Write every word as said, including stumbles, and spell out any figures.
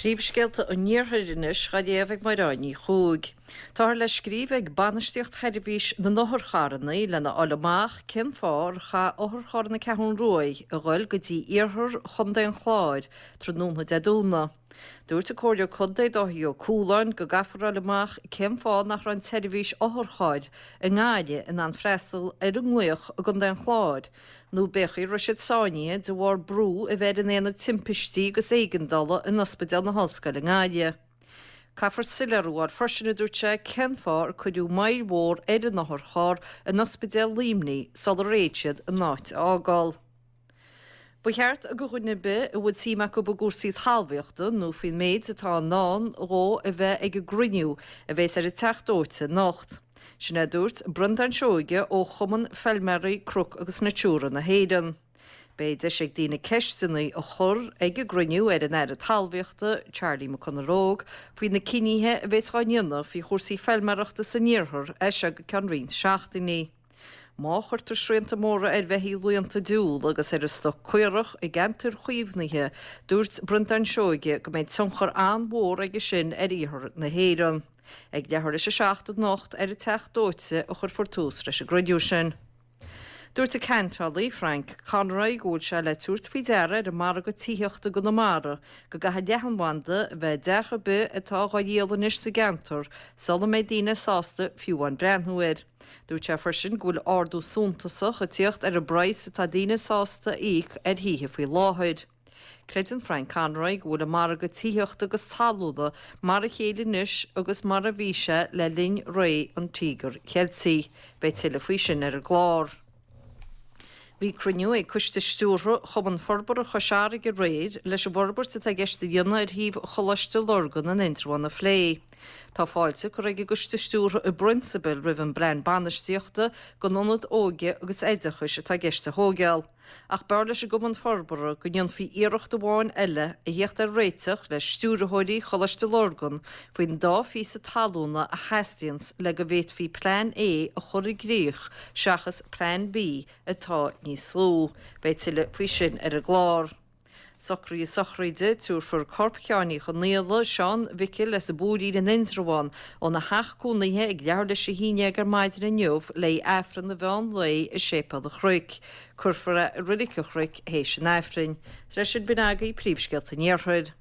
Príomhscéalta an Iarthair anois á léamh ag Máire Ní Chuaig. Táthar le scríobh ag bainistíocht sheirbhís na n-otharcharranna lena fháil amach cén fáth ar chaith otharcharr na Ceathrún Ruaidh a ghoil go dtí iarthar Chontae an Chláir tráthnóna Dé Domhnaigh. Dúirt an Comhairleoir Contae Dáithí Ó Cualáin go gcaithfear a fháil amach cén fáth nach raibh an tseirbhís otharchairr i nGaillimh in ann freastal ar an nglaoch i gContae an Chláir, nó pé chaoi a raibh siad sáinnithe de bharr brú a bheith ar an aonad timpistí agus éigeandála in Ospidéal na hOllscoile i nGaillimh. Caithfear soiléiriú a fháil freisin, a dúirt sé, cén fáth ar cuireadh moill mhór ar an otharcharr in Ospidéal Luimnigh sular fhéad siad an áit a fhágáil. Ba cheart do dhuine ar bith a bhfuil suim acu i gcúrsaí talmhaíochta nó faoin méid atá i ndán dhó a bheith ag an gcruinniú a bheas ar an Teach Dóite anocht. Sin é a dúirt Breandán Seoige ó Chumann Feilméaraí Cnoc agus Natura na hÉireann. Beidh deis ag daoine ceisteanna a chur ag an gcruinniú ar an Aire Talmhaíochta, Charlie McConalogue, faoi na cinnithe a bheas dhá ndéanamh faoi chúrsaí feilméarachta san iarthar as seo go ceann roinnt seachtainí. Má chuirtear srianta móra ar bheithígh laonta diúil agus ar an stoc caorach i gceantair chaomhnaithe, dúirt Breandán Seoige go mbeidh tionchar an-mhór aige sin ar iarthar na hÉireann. Ag leathuair tar éis a seacht anocht ar an Teach Dóite a chuirfear tús leis an gcruinniú sin. Dúirt an ceantálaí Frank Conroy go bhfuil sé le tabhairt faoi deara ar an margadh tithíochta i gConamara go gcaithfidh leathanbhanda a bheith i dteach ar bith atá dhá dhíol anois sa gceantar sula mbeidh daoine sásta fiú amháin breathnú air. Dúirt sé freisin go bhfuil ardú suntasach ag tíocht ar an bpraghas atá daoine sásta a íoc ar thithe faoi láthair. Creideann Frank Conroy go bhfuil an margadh tithíochta agus talúna mar a chéile anois agus mar a bhí sé le linn ré an Tíogair Cheiltigh. Beidh tuilleadh faoi sin ar an gclár. Bhí cruinniú ag Coiste Stiúrtha Chumann Forbartha Chois Fharraige aréir leis an bhforbairt atá i gceist a dhéanamh ar shuíomh Choláiste Lurgan in Indreabhán a phlé. Tá fáilte curtha ag an gCoiste Stiúrtha i bprionsabal roimh an bplean bainistíochta don ionad óige agus oideachais atá i gceist a thógáil. Ach b'fhearr leis an gCumann Forbartha go ndéanfaí iarracht amháin eile a theacht ar réiteach le stiúrthóirí Choláiste Lurgan faoin dá phíosa talúna a theastaíonns le go bhféadfaí Plean A a chur i gcrích seachas Plean B atá níos lú. Beidh tuilleadh faoi sin ar an gclár. Socruithe sochraide, tabharfar corp Sheáin Uí Chonaola, Seán Mhicil as an bPúirín in Indreabhán, óna theach cónaithe ag leathuair tar éis a haon déag ar maidin inniu le hAifreann an mheán lae i Séipéal an Chnoic. Cuirfear é i Reilig an Chnoic théis an Aifrinn. Is leis sin b'in agaibh príomhscéalta an Iarthair.